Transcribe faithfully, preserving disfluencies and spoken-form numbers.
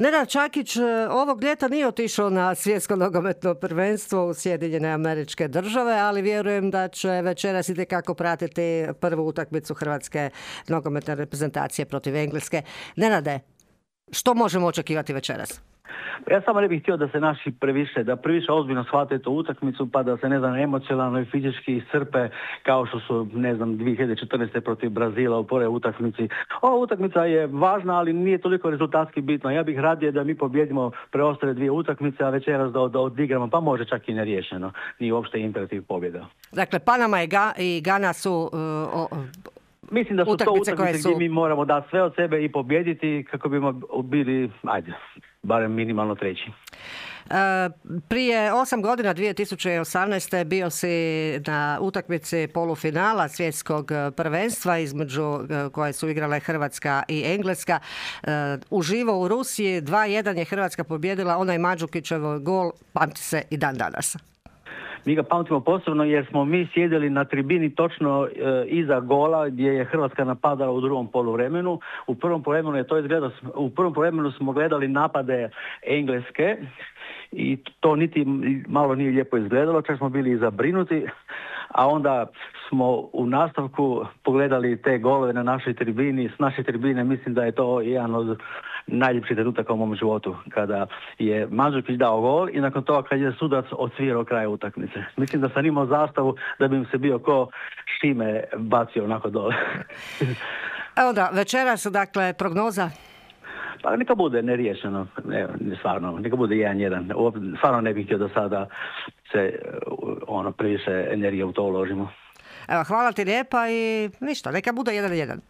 Nenad Čakić ovog ljeta nije otišao na svjetsko nogometno prvenstvo u Sjedinjene Američke Države, ali vjerujem da će večeras itekako pratiti prvu utakmicu hrvatske nogometne reprezentacije protiv Engleske. Nenade, što možemo očekivati večeras? Ja samo ne bih htio da se naši previše, da previše ozbiljno shvate tu utakmicu, pa da se, ne znam, emocionalno i fizički iscrpe kao što su, ne znam, dvije hiljade četrnaeste. protiv Brazila u prvoj utakmici. Ova utakmica je važna, ali nije toliko rezultatski bitna. Ja bih radije da mi pobjedimo preostale dvije utakmice, a večeras da, da odigramo, pa može čak i neriješeno. Nije uopšte imperativ pobjeda. Dakle, Panama i, Ga, i Gana su... Uh, o, Mislim da su utakmice to utakmice su... gdje mi moramo dati sve od sebe i pobjediti kako bimo bili, ajde, barem minimalno treći. E, prije osam godina, dvije tisuće osamnaeste. bio si na utakmici polufinala svjetskog prvenstva između koje su igrale Hrvatska i Engleska. E, uživo u Rusiji dva jedan je Hrvatska pobjedila, onaj Mandžukićev gol pamti se i dan danas. Mi ga pamtimo posebno jer smo mi sjedili na tribini točno e, iza gola gdje je Hrvatska napadala u drugom poluvremenu. U prvom poluvremenu je to izgledalo, u prvom poluvremenu smo gledali napade Engleske i to niti malo nije lijepo izgledalo, čak smo bili i zabrinuti, a onda smo u nastavku pogledali te golove na našoj tribini. S naše tribine mislim da je to jedan od najljepših trenutaka u mom životu, kada je Mandžukić dao gol i nakon toga kad je sudac odsvirao kraj utakmice. Mislim da sam imao zastavu da bi im se bio ko Šime bacio onako dole. Evo da, večeras, dakle, prognoza? Pa neka bude neriješeno, ne, stvarno, neka bude jedan jedan. Stvarno ne bih htio da sada se ono previše energije u to uložimo. Evo, hvala ti lijepa i ništa, neka bude jedan jedan.